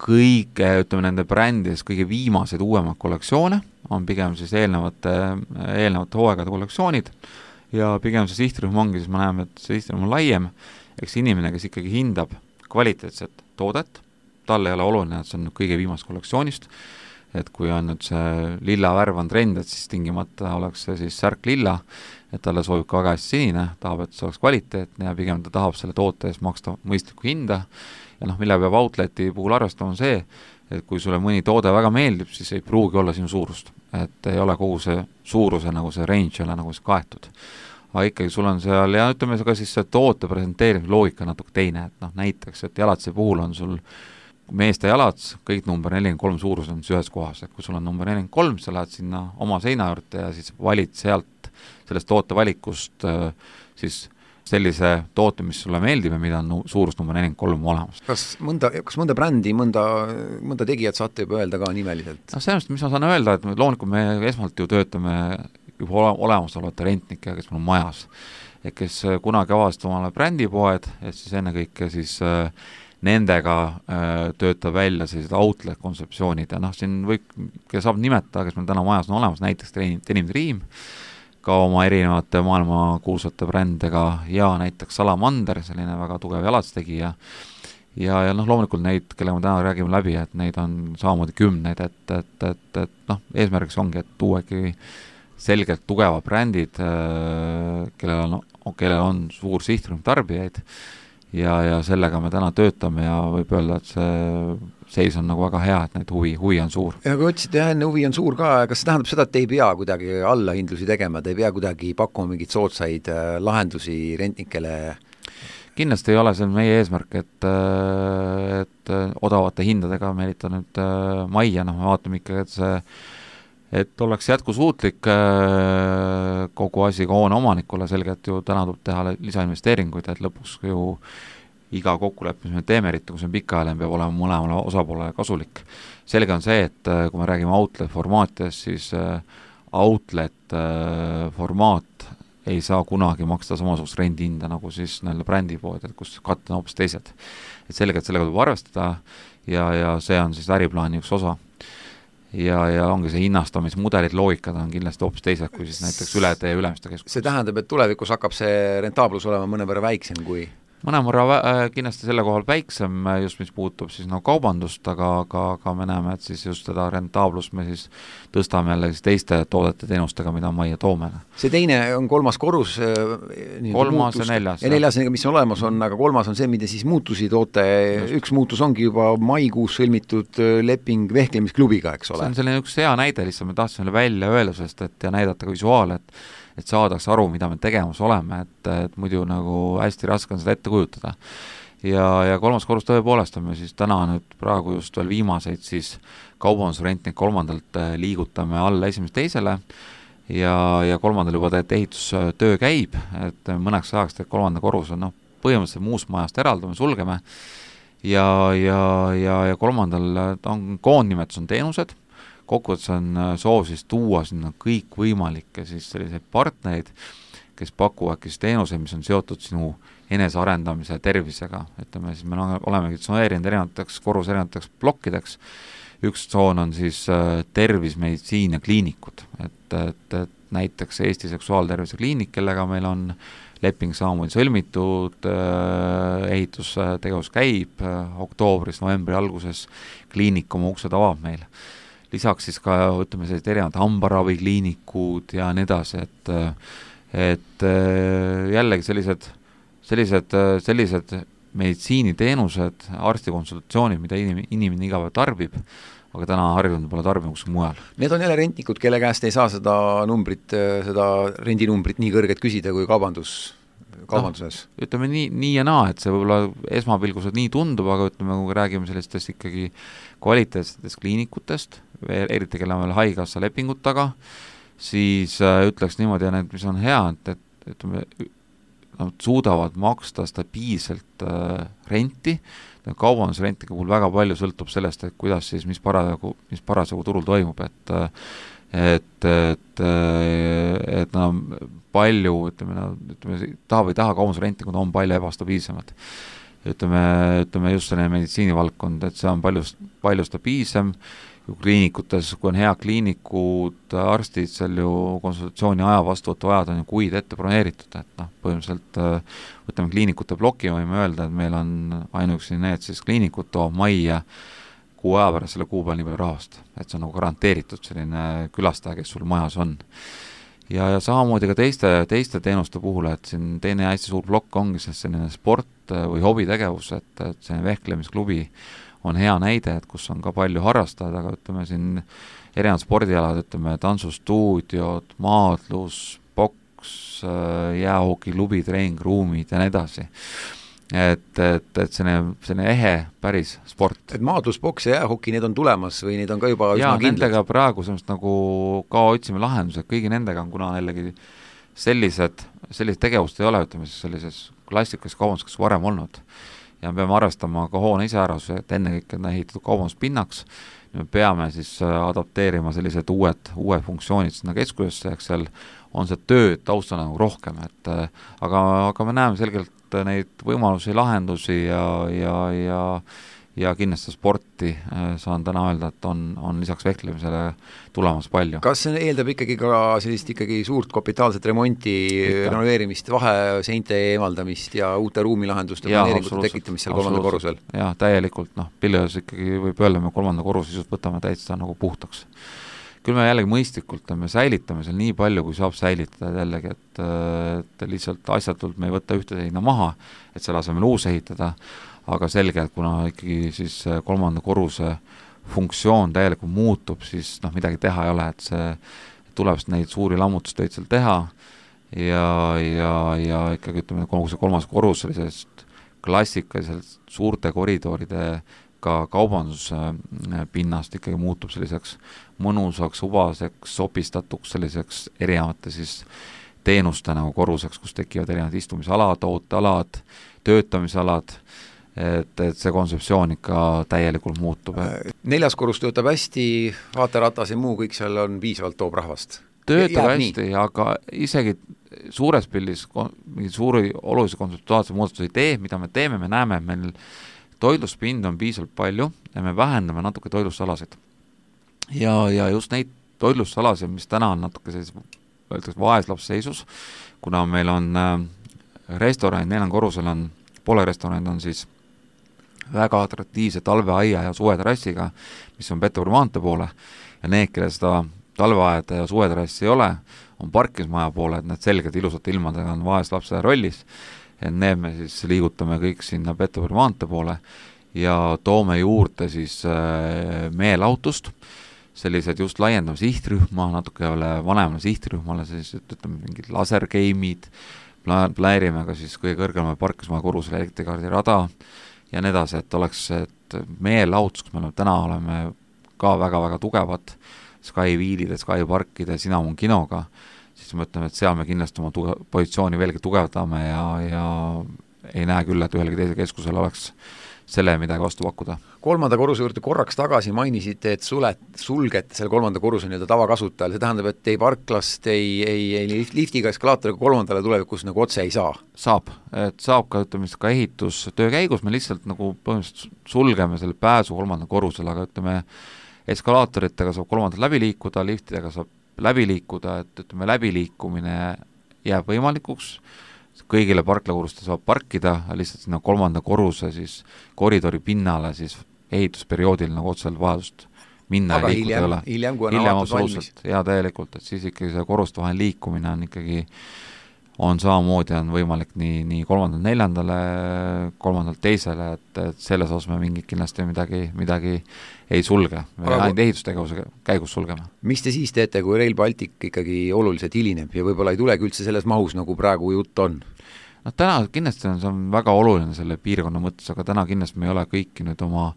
kõige, ütleme nende brändides kõige viimased uuemad kollektsioone, on pigem siis eelnevate, eelnevate hooaegade kollektsioonid, ja pigem see sihtrühm ongi, siis ma näeme, et see sihtrühm on laiem, eks inimene, kes ikkagi hindab kvaliteetset toodet, tal ei ole oluline, et see on kõige viimast kollektsioonist, et kui on nüüd see lilla värv on trend, et siis tingimata oleks see siis särk lilla, et talle soovib ka väga hästi sinine, tahab, et see oleks kvaliteetne ja pigem ta tahab selle toote eest maksta mõistlikku hinda, ja noh, mille peab outleti puhul arvestama on see, et kui sulle mõni toode väga meeldib, siis ei pruugi olla sinu suurust, et ei ole kogu see suuruse nagu see range ole nagu see kaetud. Aga ikkagi sul on seal, ja ütleme ka siis see toote presenteerimise loogika natuke teine, et noh, näiteks, et jalatsi puhul on sul meeste jalats, kõik number nelikümmend kolm suurus on ühes kohas, et kui sul on number nelikümmend kolm, sa lähed sinna oma seina juurde ja siis valid sealt sellest toote valikust siis sellise toote, mis sulle meeldib ja mida on suurus number nelikümmend kolm olemas. Kas mõnda, kas mõnda brändi, mõnda, mõnda tegijat saate juba öelda ka nimeliselt? No sellest, mis ma saan öelda, et loomulikult me esmalt ju töötame juba olemasolevate rentnikega, kes meil on majas, et kes kunagi avasid omale brändipoed, et siis ennekõike siis äh, nendega äh, töötab välja sellised outlet kontseptsioonid ja noh, siin võib, kes saab nimetada, kes meil täna majas on olemas, näiteks Denim Dream, ka oma erinevate maailma kuulsate brändega ja näiteks Salamander, selline väga tugev jalatstegija ja, ja noh, loomulikult neid, kelle me täna räägime läbi, et neid on samamoodi kümneid, et, et, et, et noh, eesmärgiks ongi, et tuuegi selgelt tugevad brändid, kellel on, kellel on suur sihtrühm tarbijaid ja, ja sellega me täna töötame ja võib öelda, et see seis on nagu väga hea, et neid huvi, huvi on suur. Ja kui otsid, jah, enne huvi on suur ka, kas see tähendab seda, et ei pea kuidagi allahindlusi tegema, te ei pea kuidagi pakkuma mingit soodsaid lahendusi rentnikele? Kindlasti ei ole see meie eesmärk, et, et odavate hindadega meelitada nüüd äh, majja, noh, me vaatame ikkagi, et see et oleks jätkusuutlik äh, kogu asi ka hoone omanikule, selgelt ju täna tuleb teha lisainvesteeringuid, et lõpuks ju iga kokkuleppe, mis me teeme, eriti kui see on pikaajaline, peab olema mõlemale osapoolele kasulik. Selge on see, et äh, kui me räägime outlet formaatidest, siis äh, outlet äh, formaat ei saa kunagi maksta samasugust rendihinda nagu siis näile brändipood, et kus katte on hoopis teised. Et sellega, et sellega tuleb arvestada ja, ja see on siis äriplaani üks osa. Ja, ja ongi see hinnastamismudelid, loogikad on kindlasti hoopis teised kui siis näiteks ületee ülemiste keskus. See tähendab, et tulevikus hakkab see rentaablus olema mõnevõrra väiksem kui mõnemõrra äh, kindlasti selle kohal väiksem, just mis puutub siis no kaubandust, aga, aga, aga me näeme, et siis just seda rentaablust me siis tõstame jälle siis teiste toodete teenustega, mida majja toome. See teine on kolmas korrus. Kolmas ja neljas. Ja neljas, mis on olemas on, aga kolmas on see, mida siis muutusi toote. Just. Üks muutus ongi juba maikuus sõlmitud leping vehklemisklubiga, eks ole. See on selline üks hea näide, lihtsalt me tahtsime välja öelda, sest et ja näidata ka visuaal, et et saadaks aru, mida me tegemas oleme, et, et muidu nagu hästi raske on seda ette kujutada. Ja, ja kolmas korrus tõepoolest on me siis täna nüüd praegu just veel viimaseid siis kaubandusrentnik kolmandalt liigutame alla esimest teisele ja, ja kolmandal juba teed ehitustöö käib, et mõneks ajaks teed kolmanda korruse, noh, põhimõtteliselt muust majast eraldame, sulgeme ja, ja, ja, ja kolmandal on koondnimetus on teenused, kokkuvõttes on soov siis tuua sinna kõik võimalikke siis selliseid partnerid, kes pakuvad siis teenuseid, mis on seotud sinu enesearendamise tervisega. Ütleme, siis me olemegi tsoneerinud erinevateks korrus erinevateks plokkideks. Üks tsoon on siis tervis, meditsiin ja kliinikud. Et, et, et näiteks Eesti seksuaaltervise kliinik, kellega meil on leping samamoodi sõlmitud, ehitustegevus käib, oktoobris, novembri alguses kliinik oma uksed avab meil. Lisaks siis ka, ütleme, sellised erinevad hambaravikliinikud ja nii edasi, et, et jällegi sellised, sellised, sellised meditsiiniteenused, arstikonsultatsioonid, mida inim, inimene iga päev tarbib, aga täna harjunud pole tarbima kuskil mujal. Need on jälle rentnikud, kelle käest ei saa seda numbrit, seda rendinumbrit nii kõrget küsida kui kaubandus, kaubanduses. No, ütleme nii, nii ja naa, et see võib-olla esmapilgused nii tundub, aga ütleme, kui räägime sellistest ikkagi kvaliteetsetest kliinikutest, eriti kelle on veel haigekassa lepingut taga, siis äh, ütleks niimoodi, ja need, mis on hea, et, et ütleme, nad suudavad maksta stabiilselt äh, renti, kaubandusrentiga puhul väga palju sõltub sellest, et kuidas siis, mis parasjagu, mis parasjagu turul toimub, et et, et, et nad on palju, ütleme, ütleme, taha või taha kaubandusrentikud on palju ebastabiilsemad. Ütleme, ütleme just selline meditsiinivaldkond, et see on palju, palju stabiilsem, kliinikutes, kui on hea kliinikud, arstid, seal ju konsultatsiooni aja vastuvõttu ajad on ju kuid ette broneeritud, et noh, põhimõtteliselt võtame kliinikute ploki, võime öelda, et meil on ainuüksi need siis kliinikud toob majja kuu aja pärast selle kuu peal nii palju rahast, et see on nagu garanteeritud selline külastaja, kes sul majas on. Ja, ja samamoodi ka teiste, teiste teenuste puhul, et siin teine hästi suur plokk ongi selline sport või hobitegevus, et, et selline vehklemisklubi on hea näide, et kus on ka palju harrastajad, aga ütleme siin erinevad spordialad, ütleme tantsustuudiod, maadlus, boks, jäähokiklubi, treeningruumid ja nii edasi. Et, et, et selline, selline ehe päris sport. Et maadlus, boks ja jäähoki, need on tulemas või need on ka juba ja, üsna kindlad? Nendega praegu semmoist nagu ka otsime lahendused, kõigi nendega on, kuna jällegi sellised, sellised tegevust ei ole, ütleme siis sellises klassikalis kaubandus varem olnud. Ja me peame arvestama ka hoone iseärasuse, et enne kõik on ehitatud kaubanduspinnaks, me peame siis adapteerima sellised uued, uued funktsioonid sinna keskusesse, eks seal on see tööd taustana nagu rohkem, et aga, aga me näeme selgelt neid võimalusi, lahendusi ja, ja, ja, ja kindlasti sporti saan täna öelda, et on, on lisaks vehklemisele tulemas palju. Kas see eeldab ikkagi ka sellist ikkagi suurt kapitaalset remonti, Ikka. renoveerimist, vaheseinte eemaldamist ja uute ruumilahenduste planeeringute tekitamist seal kolmandal korrusel? Jah, täielikult, noh, pilles ikkagi võib öelda, me kolmanda korruse sisust võtame täitsa nagu puhtaks. Küll me jällegi mõistlikult me säilitame seal nii palju, kui saab säilitada jällegi, et, et lihtsalt asjatult me ei võta ühte seina maha, et selle asemel uus ehitada, aga selge, et kuna ikkagi siis kolmanda korruse funktsioon täielikult muutub, siis noh, midagi teha ei ole, et see tuleb neid suuri lammutustöid seal teha ja, ja, ja ikkagi ütleme, kogu see kolmas korrus sellisest klassikaliselt suurte koridoride ka kaubanduspinnast ikkagi muutub selliseks mõnusaks, ubaseks, sopistatuks selliseks erinevate siis teenuste nagu korruseks, kus tekivad erinevad istumisalad, ootealad, töötamisalad, et, et see kontseptsioon ikka täielikult muutub. Et... neljas korrus töötab hästi, vaateratas ja muu kõik seal on piisavalt toob rahvast? Töötab hästi, nii. Aga isegi suures pildis mingi suuri olulisi kontseptuaalse muudatuse ei tee, mida me teeme, me näeme, et meil toitluspind on piisavalt palju ja me vähendame natuke toitlusalasid. Ja, ja just neid toitlusalasid, mis täna on natuke sellis, öeldakse vaeslapsseisus, kuna meil on äh, restoran, neljal korrusel on, poole restoranid on siis väga atraktiivse talveaia ja suveterrassiga, mis on Peterburi maantee poole ja need, kelle seda talveaeda ja suveterrassi ei ole, on parkimismaja poole, et need selged ilusate ilmadega on vaeslapse rollis, et need me siis liigutame kõik sinna Peterburi maantee poole ja toome juurde siis äh, meelautust, sellised just laiendame sihtrühma, natuke vanemale sihtrühmale, siis ütleme mingid lasergeimid, pläärime ka siis kõige kõrgemal parkismaja korrusel elektrikaardi rada ja nii edasi, et oleks, et meelautus, kus me oleme, täna oleme ka väga-väga tugevad Sky Wheelide, Sky Parkide, Cinnamon kinoga, siis me ütleme, et seal me kindlasti oma tuge, positsiooni veelgi tugevdame ja, ja ei näe küll, et ühelegi teise keskusel oleks selle midagi vastu pakkuda. Kolmanda korruse juurde korraks tagasi mainisite, et sulet, sulgete selle kolmanda korruse nii-öelda tavakasutajal, see tähendab, et ei parklast, ei, ei, ei liftiga, eskalaatoriga kolmandale tulevikus nagu otse ei saa? Saab, et saab ka, ütleme, ka ehitustöö käigus, me lihtsalt nagu põhimõtteliselt sulgeme selle pääsu kolmanda korrusele, aga ütleme, eskalaatoritega saab kolmandalt läbi liikuda, liftidega saab läbi liikuda, et ütleme, läbiliikumine jääb võimalikuks, kõigile parklakorruste saab parkida, lihtsalt sinna kolmanda korruse siis koridori pinnale siis ehitusperioodil nagu otseselt vajadust minna aga ja liikuda hiljem, ei ole. Hiljem, kui on hiljem avatud valmis. Ja täielikult, et siis ikkagi see korruste vahel liikumine on ikkagi on samamoodi on võimalik nii, nii kolmandalt neljandale, kolmandalt teisele, et, et selles osas me mingit kindlasti midagi, midagi ei sulge. Me aga ainult ehitustegevuse käigus sulgeme. Mis te siis teete, kui Rail Baltic ikkagi oluliselt hilineb ja võib-olla ei tulegi üldse selles mahus, nagu praegu jutt on? No täna kindlasti on see on väga oluline selle piirkonna mõttes, aga täna kindlasti me ei ole kõiki nüüd oma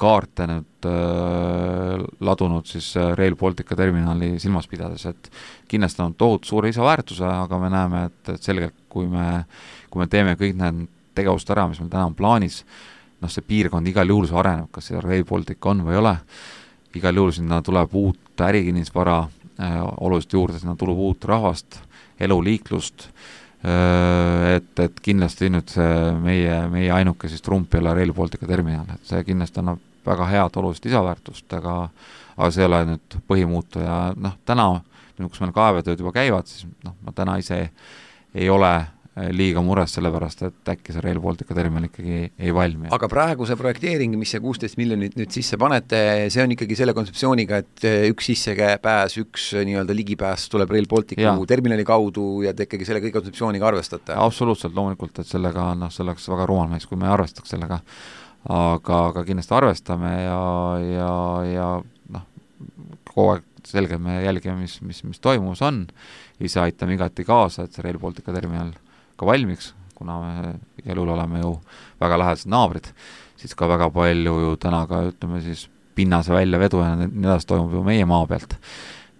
kaarte nüüd äh, ladunud siis Rail Baltica terminali silmas pidades, et kindlasti on tohutu suure lisaväärtuse, aga me näeme, et, et selgelt kui me, kui me teeme kõik need tegevust ära, mis meil täna on plaanis, noh see piirkond igal juhul see areneb, kas see Rail Baltic on või ei ole, igal juhul sinna tuleb uut ärikinnisvara äh, oluliselt juurde, sinna tuleb uut rahvast, eluliiklust, et, et kindlasti nüüd see meie, meie ainuke siis trump ei ole Rail Baltica terminal, et see kindlasti annab väga head olulist lisaväärtust, aga, aga see ei ole nüüd põhimuutu ja noh, täna, kus meil kaevetööd juba käivad, siis noh, ma täna ise ei ole liiga mures sellepärast, et äkki see Rail Baltica terminal ikkagi ei valmi. Aga praegu see projekteering, mis see kuusteist miljonit nüüd sisse panete, see on ikkagi selle kontseptsiooniga, et üks sissepääs, üks nii-öelda ligipääs tuleb Rail Balticu ja. terminali kaudu ja te ikkagi selle kõik kontseptsiooniga arvestate? Absoluutselt, loomulikult, et sellega noh, see oleks väga rumal mees, kui me arvestaks sellega, aga, aga kindlasti arvestame ja, ja, ja noh, kogu aeg selge me jälgime, mis, mis, mis toimus on, ise aitame igati kaasa, et see Rail Baltica terminal ka valmiks, kuna me igal juhul oleme ju väga lähedased naabrid, siis ka väga palju ju täna ka ütleme siis pinnase välja vedu ja nii edasi toimub ju meie maa pealt.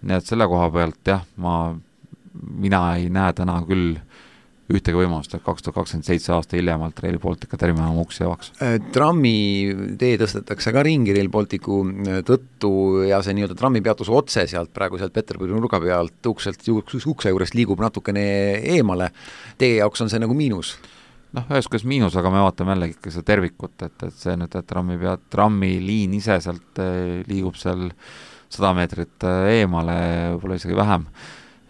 Nii et selle koha pealt jah, ma, mina ei näe täna küll ühtegi võimalust, et kaks tuhat kakskümmend seitse aasta hiljemalt Rail Baltica terminal uksi avaks. Trammi tee tõstetakse ka ringi Rail Balticu tõttu ja see nii-öelda trammipeatus otse sealt praegu sealt Peterburi nurga pealt ukselt, ukse juurest liigub natukene eemale. Teie jaoks on see nagu miinus? Noh, ühes kuidas miinus, aga me vaatame jällegi ikka seda tervikut, et, et see nüüd, et trammi pealt, trammi liin ise sealt liigub seal sada meetrit eemale, võib-olla isegi vähem.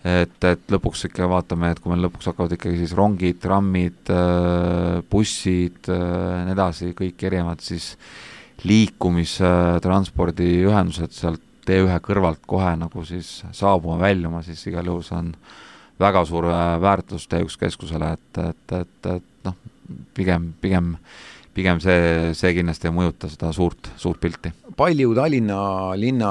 Et, et lõpuks ikka vaatame, et kui meil lõpuks hakkavad ikkagi siis rongid, trammid, bussid, nii edasi, kõik erinevad siis liikumistranspordi ühendused sealt tee ühe kõrvalt kohe nagu siis saabuma väljuma, siis igal juhul see on väga suur väärtus teejuks keskusele, et, et, et, et noh, pigem, pigem, pigem see, see kindlasti ei mõjuta seda suurt, suurt pilti. Palju Tallinna linna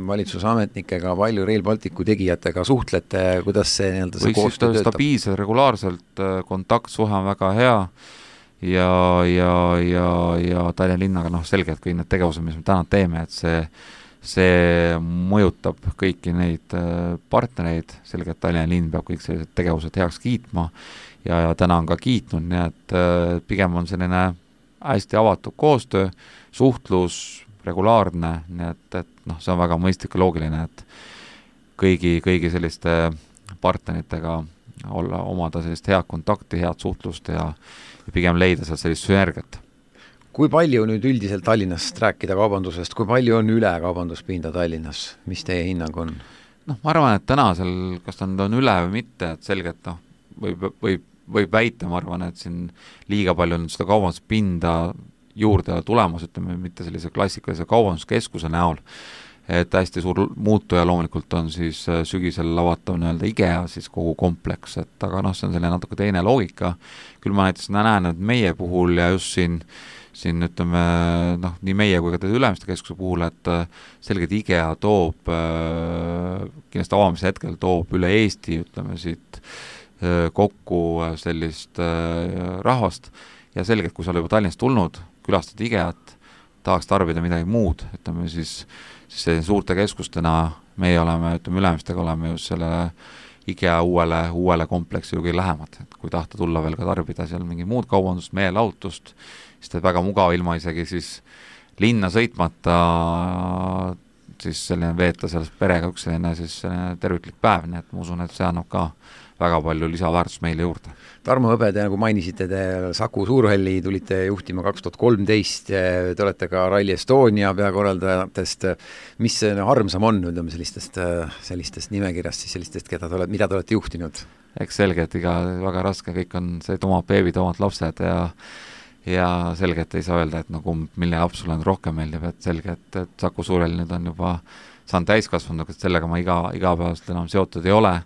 valitsuse ametnikega, palju Rail Balticu tegijatega suhtlete, kuidas see, nii-öelda see koostöö töötab? Stabiilselt, regulaarselt, kontaktsuhe on väga hea ja, ja, ja, ja Tallinna linnaga noh, selgelt kõik need tegevused, mis me täna teeme, et see see mõjutab kõiki neid partnereid, selgelt Tallinna linn peab kõik sellised tegevused heaks kiitma ja, ja täna on ka kiitnud, nii et pigem on selline hästi avatud koostöö, suhtlus, regulaarne, nii et, et noh, see on väga mõistlik ja loogiline, et kõigi, kõigi selliste partneritega olla, omada sellist head kontakti, head suhtlust ja, ja pigem leida seal sellist sünergiat. Kui palju nüüd üldiselt Tallinnast rääkida kaubandusest, kui palju on üle kaubanduspinda Tallinnas, mis teie hinnang on? Noh, ma arvan, et täna seal, kas ta on üle või mitte, et selgelt noh, võib, võib, võib väita, ma arvan, et siin liiga palju on seda kaubanduspinda juurde tulemas, ütleme, mitte sellise klassikalise kaubanduskeskuse näol, et hästi suur muutuja loomulikult on siis sügisel lavatav nii-öelda IKEA, siis kogu kompleks, et aga noh, see on selline natuke teine loogika, küll ma näiteks näen, et meie puhul ja just siin siin ütleme, noh, nii meie kui ka teie Ülemiste keskuse puhul, et selgelt IKEA toob, kindlasti avamise hetkel toob üle Eesti, ütleme siit kokku sellist rahvast ja selgelt, kui sa oled juba Tallinnast tulnud, külastad IKEA-t, tahaks tarbida midagi muud, ütleme siis, siis suurte keskustena meie oleme, ütleme Ülemistega oleme just selle IKEA uuele, uuele kompleksi ju kõige lähemad, et kui tahta tulla veel ka tarbida seal mingi muud kaubandust, meelelahutust, siis ta väga mugav ilma isegi siis linna sõitmata siis selline veeta sellest perega üks selline siis selline terviklik päev, nii et ma usun, et see annab ka väga palju lisaväärtust meile juurde. Tarmo Hõbe, te nagu mainisite, te Saku Suurhalli tulite juhtima kaks tuhat kolmteist, te olete ka Rally Estonia peakorraldajatest, mis see armsam on, ütleme sellistest, sellistest nimekirjast, siis sellistest, keda te olete, mida te olete juhtinud? Eks selge, et iga väga raske, kõik on see, et omad beebid, omad lapsed ja ja selgelt ei saa öelda, et nagu mille laps sulle rohkem meeldib, et selge, et, et Saku Suurhalli nüüd on juba saan täiskasvanud, et sellega ma iga, igapäevaselt enam seotud ei ole,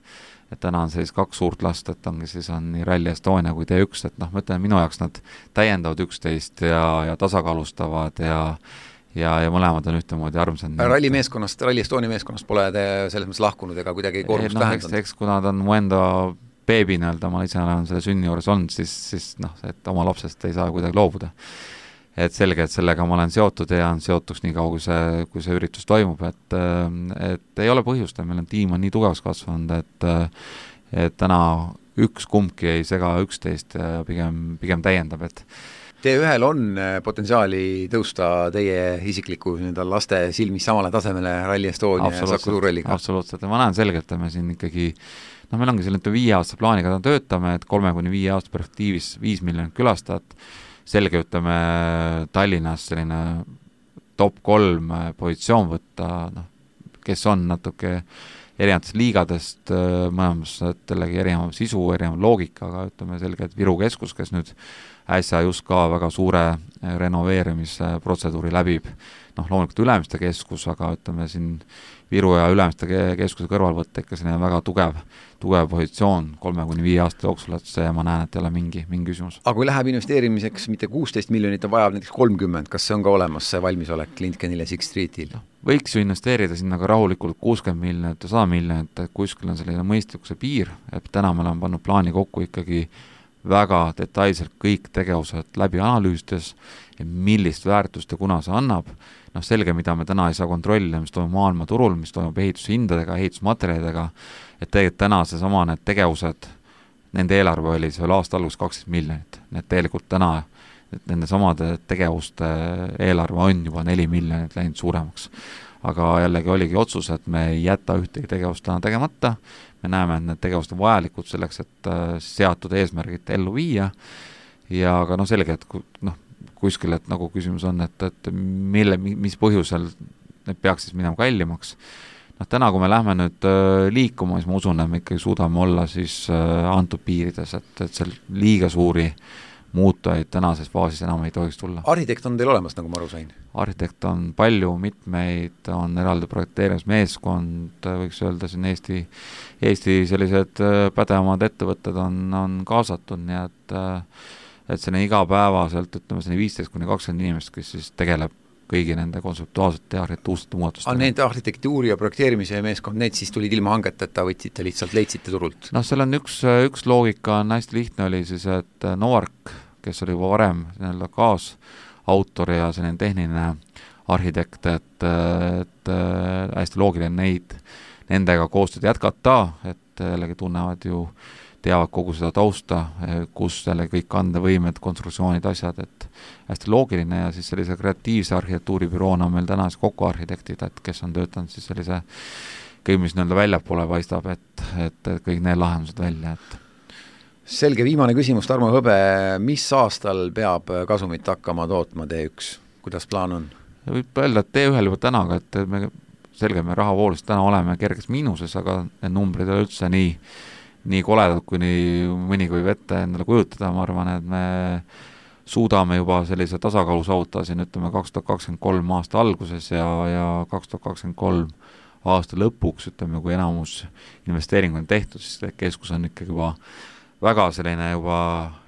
et täna on siis kaks suurt last, et ongi siis on nii Rally Estonia kui T üks, et noh, ma ütlen, minu jaoks nad täiendavad üksteist ja, ja tasakaalustavad ja ja, ja mõlemad on ühtemoodi armsad. Rally meeskonnast, Rally Estonia meeskonnast pole te selles mõttes lahkunud ega kuidagi koormust no, vähendanud? Eks, eks kui nad on mu enda beebi nii-öelda, ma ise olen selle sünni juures olnud, siis, siis noh, et oma lapsest ei saa kuidagi loobuda. Et selge, et sellega ma olen seotud ja on seotuks nii kaua, kui see, kui see üritus toimub, et, et ei ole põhjust, meil on tiim on nii tugevaks kasvanud, et, et täna üks kumbki ei sega üksteist ja pigem, pigem täiendab, et T ühel on potentsiaali tõusta teie isikliku laste silmis samale tasemele Rally Estonia ja Saku Suurhalliga? Absoluutselt, ja ma näen selgelt, et me siin ikkagi noh, meil ongi selline viie aasta plaaniga töötame, et kolme kuni viie aasta perspektiivis viis miljonit külastajat, selge ütleme Tallinnas selline top kolm positsioon võtta, noh, kes on natuke erinevatest liigadest, mõlemas jällegi erinev sisu, erinev loogika, aga ütleme selge, et Viru keskus, kes nüüd äsja just ka väga suure renoveerimise protseduuri läbib, noh, loomulikult Ülemiste keskus, aga ütleme siin Viru ja Ülemiste keskuse kõrval võtta ikka selline väga tugev, tugev positsioon kolme kuni viie aasta jooksul, et see ma näen, et ei ole mingi, mingi küsimus. Aga kui läheb investeerimiseks mitte kuusteist miljonit, on vajab näiteks kolmkümmend, kas see on ka olemas, see valmisolek Lindkenil ja Six Streetil? Võiks ju investeerida sinna ka rahulikult kuuskümmend miljonit ja sada miljonit, et kuskil on selline mõistlikkuse piir, et täna me oleme pannud plaani kokku ikkagi väga detailselt kõik tegevused läbi analüüsides ja millist väärtust ja kuna see annab, noh selge, mida me täna ei saa kontrollida, mis toimub maailmaturul, mis toimub ehitushindadega, ehitusmaterjalidega, et tegelikult täna seesama need tegevused, nende eelarve oli see aasta algus kaksteist miljonit, need tegelikult täna nende samade tegevuste eelarve on juba neli miljonit läinud suuremaks. Aga jällegi oligi otsus, et me ei jäta ühtegi tegevust täna tegemata, me näeme, et need tegevused on vajalikud selleks, et seatud eesmärgid ellu viia ja aga noh selge, et noh, kuskil, et nagu küsimus on, et, et mille, mis põhjusel need peaks siis minema kallimaks. Noh, täna, kui me lähme nüüd liikuma, siis ma usun, et me ikkagi suudame olla siis antud piirides, et, et seal liiga suuri muutujaid tänases faasis enam ei tohiks tulla. Arhitekt on teil olemas, nagu ma aru sain? Arhitekt on palju, mitmeid, on eraldi projekteerimismeeskond, võiks öelda siin Eesti, Eesti sellised pädevamad ettevõtted on, on kaasatud, nii et, et selline igapäevaselt, ütleme selline viisteist kuni kakskümmend inimest, kes siis tegeleb kõigi nende kontseptuaalsete ja arhitektuursete muudatustega. Aga need arhitektuuri ja projekteerimise meeskond, need siis tulid ilma hangeteta, võtsite lihtsalt, leidsite turult? Noh, seal on üks, üks loogika on hästi lihtne oli siis, et Novark, kes oli juba varem nii-öelda kaasautor ja selline tehniline arhitekt, et, et hästi loogiline neid, nendega koostööd jätkata, et jällegi tunnevad ju, teavad kogu seda tausta, kus jälle kõik kandevõimed, konstruktsioonid, asjad, et hästi loogiline ja siis sellise kreatiivse arhitektuuribüroona on meil täna siis kokku arhitektid, et kes on töötanud siis sellise kõik, mis nii-öelda väljapoole paistab, et, et kõik need lahendused välja, et selge, viimane küsimus, Tarmo Hõbe, mis aastal peab kasumit hakkama tootma T üks? Kuidas plaan on? Võib öelda, et T ühel juba täna, et me selge, me rahavoolust täna oleme kerges miinuses, aga need numbrid ei ole üldse nii, nii koledad, kui nii mõni kui vette endale kujutada, ma arvan, et me suudame juba sellise tasakaalu saavutada siin, ütleme, kaks tuhat kakskümmend kolm aasta alguses ja, ja kaks tuhat kakskümmend kolm aasta lõpuks, ütleme, kui enamus investeering on tehtud, siis keskus on ikkagi juba väga selline juba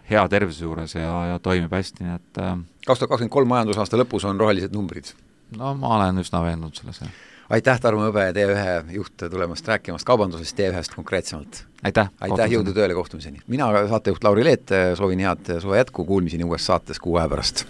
hea tervise juures ja, ja toimib hästi, nii et kaks tuhat kakskümmend kolm majandusaasta lõpus on rohelised numbrid? No ma olen üsna veendunud selles. Aitäh, Tarmo Hõbe, T ühe juht tulemast rääkimast kaubandusest, T ühest konkreetsemalt. Aitäh! Aitäh, jõudu tööle, kohtumiseni! Mina saatejuht Lauri Leet, soovin head suve jätku, kuulmiseni uues saates kuu aja pärast.